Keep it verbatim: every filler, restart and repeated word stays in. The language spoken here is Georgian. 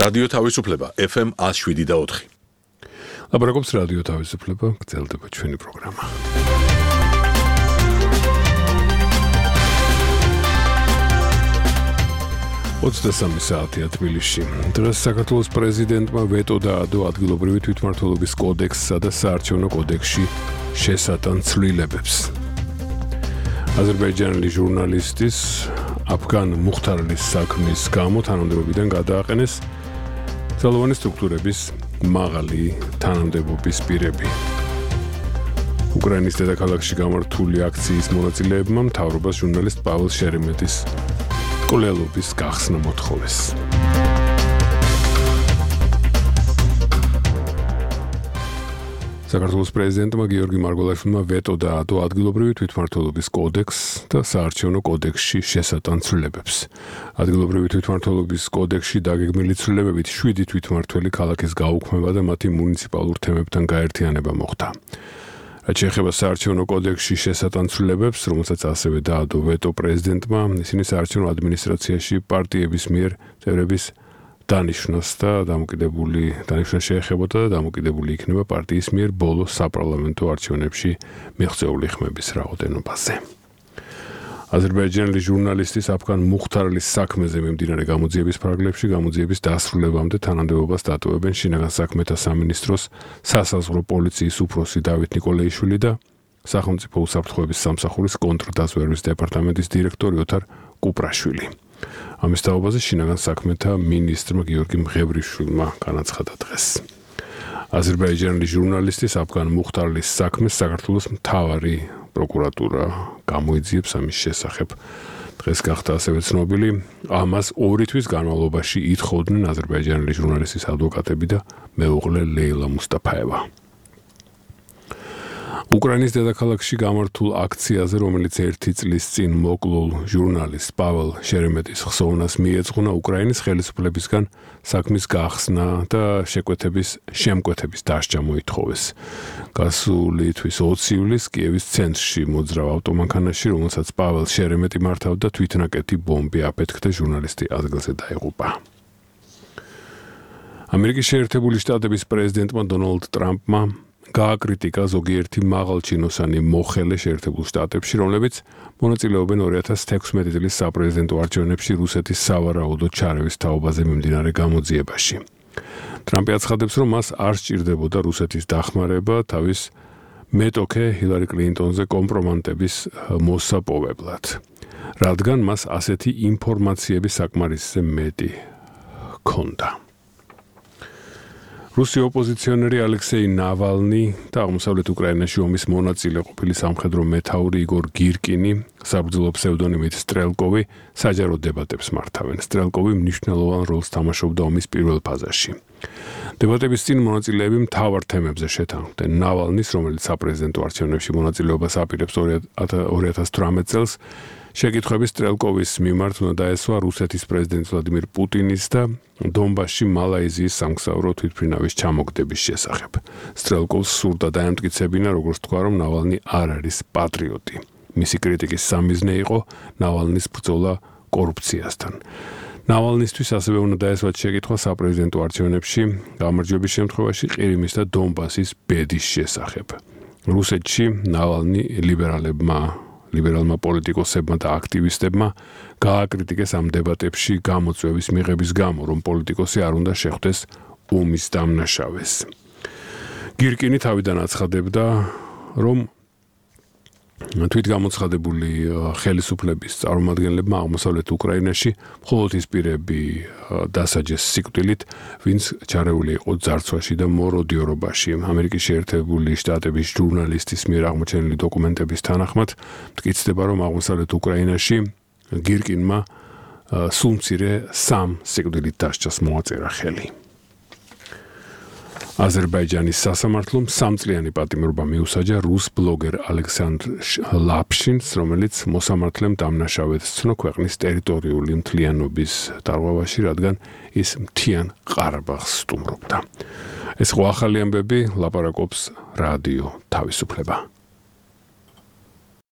რადიო თავისუფლება F M one oh seven და four. ლაპარაკობს რადიო თავისუფლება, გრძელდება ჩვენი პროგრამა. ოცდასამი საათია თბილისში. დღეს საქართველოს პრეზიდენტმა ვეტო დაადო ადგილობრივი თვითმმართველობის კოდექსსა და საარჩევნო კოდექსში შესატან ცვლილებებს. აზერბაიჯანელი ჟურნალისტის აფგან მუხთარლის საქმის გამო თანამდებობიდან გადააყენეს ძალოვანი სტრუქტურების მაღალი თანამდებობის პირები. უკრაინის დედაქალაქში გამართული აქციის მონაწილეებმა მთავრობას ჟურნალისტ პაվել შერემეტის კვლელობის გახსნა მოთხოვეს. საქართველოს პრეზიდენტმა გიორგი მარგველაშვილმა ვეტო დაადო ადგილობრივი თვითმმართველობის კოდექსს და საარჩევნო კოდექსში შესატან ცვლილებებს. ადგილობრივი თვითმმართველობის კოდექსში დაგეგმილი ცვლილებებით შვიდი თვითმმართველი ქალაქის გაუქმება და მათი მუნიციპალურ თემებთან გაერთიანება მოხდა. რაც შეეხება საარჩევნო კოდექსში შესატან ცვლილებებს, რომელსაც ასევე დაადო ვეტო პრეზიდენტმა, ისინი საარჩევნო ადმინისტრაციაში პარტიების მიერ წევრების დანიშნოს და დამოკიდებული დანიშნოს შეეხებოდა და დამოკიდებული იქნება პარტიის მიერ ბოლო საპარლამენტო არჩევნებში მიღწეული ხმების რაოდენობაზე. აზერბაიჯანელი ჟურნალისტის აფგან მუხთარლის საქმეზე მიმდინარე გამოძიების ფარგლებში გამოძიების დასრულებამდე თანამდებობას დატოვებენ შინაგან საქმეთა სამინისტროს სასაზღვრო პოლიციის უფროსი დავით ნიკოლეიშვილი და სახელმწიფო უსაფრთხოების სამსახურის კონტრდაზვერვის დეპარტამენტის დირექტორი ოთარ კუპრაშვილი. ამის თაობაზე შინაგან საქმეთა მინისტრმა გიორგი მღევრიშვილმა განაცხადა დღეს. აზერბაიჯანელი ჟურნალისტის აფგან მუხთარლის საქმეს საქართველოს მთავარი პროკურატურა გამოიძიებს ამის შესახებ. დღეს გახდა ასევე ცნობილი, ამას ორი თვის განმავლობაში ითხოვდნენ აზერბაიჯანელი ჟურნალისტის ადვოკატები და მეუღლე ლეილა მუსტაფაევა. უკრაინის დედაქალაქში გამართულ აქციაზე, რომელიც ერთი წლის წინ მოკლულ ჟურნალისტ პაվել შერემეტის ხსოვნას მიეძღვნა უკრაინის ხელისუფლებისგან საქმის გახსნა და შეკვეთების შემკვეთების დასჯა მოითხოვეს. გასული თვის ოცი ივლისს კიევის ცენტრში მოძრავ ავტომანქანაში, რომელსაც პაվել შერემეტი მართავდა, თვითნაკეთი ბომბი აფეთქდა, ჟურნალისტი ადგილზე დაიღუპა. ამერიკის შეერთებული შტატების პრეზიდენტმა დონალდ ტრამპმა გააკრიტიკა ზოგიერთი მაღალჩინოსანი მოხელე შეერთებულ შტატებში, რომლებიც მონაწილეობენ ორი ათას თექვსმეტი წლის საპრეზიდენტო არჩევნებში რუსეთის სავარაუდო ჩარევის თაობაზე მიმდინარე გამოძიებაში. ტრამპი აცხადებს, რომ მას არ სჭირდებოდა რუსეთის დახმარება თავის მეტოქე ჰილარი კლინტონზე კომპრომატების მოსაპოვებლად, რადგან მას ასეთი ინფორმაციები საკმარისზე მეტი ჰქონდა. რუსი ოპოზიციონერი ალექსეი ნავალნი და აღმოსავლეთ უკრაინაში ომის მონაწილე ყოფილი სამხედრო მეთაური იგორ გირკინი, საბრძოლო ფსევდონიმით სტრელკოვი, საჯარო დებატებს მართავენ. სტრელკოვი მნიშვნელოვან როლს თამაშობდა ომის პირველ ფაზაში. დებატების წინ მონაწილეები მთავარ თემებზე შეთანხმდნენ. ნავალნის, რომელიც საპრეზიდენტო არჩევნებში მონაწილეობას აპირებს ორი ათას თვრამეტ წელს, შეკითხვები სტრელკოვის მიმართ უნდა დაესვა რუსეთის პრეზიდენტ ვლადიმირ პუტინის და დონბასში მალაიზიის სამგზავრო თვითმფრინავის ჩამოგდების შესახებ. სტრელკოვს სურდა დაემტკიცებინა, როგორც თქვა, რომ ნავალნი არ არის პატრიოტი. მისი კრიტიკის სამიზნე იყო ნავალნის ბრძოლა კორუფციასთან. ნავალნისთვის ასევე უნდა დაესვათ შეკითხვა საპრეზიდენტო არჩევნებში გამარჯვების შემთხვევაში ყირიმის და დონბასის ბედის შესახებ. რუსეთში ნავალნი ლიბერალებმა ლიბერალმა პოლიტიკოსებმა და აქტივისტებმა გააკრიტიკეს ამ დებატებში გამოწვევის მიღების გამო, რომ პოლიტიკოსი არ უნდა შეხვდეს ომის დამნაშავეს. გირკინი თავიდან აცხადებდა, რომ თვითგამოცხადებული ხელისუფლების წარმომადგენლებმა აღმოსავლეთ უკრაინაში მხოლოდ ის პირები დასაჯეს სიკვდილით, ვინც ჩარეული იყო ძარცვაში და მოროდიორობაში. ამერიკის შეერთებული შტატების ჟურნალისტის მიერ აღმოჩენილი დოკუმენტების თანახმად მტკიცდება, რომ აღმოსავლეთ უკრაინაში გირკინმა სულ მცირე სამ სიკვდილით დასჯას მოაწერა ხელი. აზერბაიჯანის სასამართლომ სამწლიანი პატიმრობა მიუსაჯა რუს ბლოგერ ალექსანდრ ლაფშინს, რომელიც მოსამართლემ დამნაშავედ სცნო ქვეყნის ტერიტორიული მთლიანობის დარღვევაში, რადგან ის მთიან ყარაბაღს სტუმრობდა. ეს ხო ახალი ამბები, ლაპარაკობს რადიო თავისუფლება.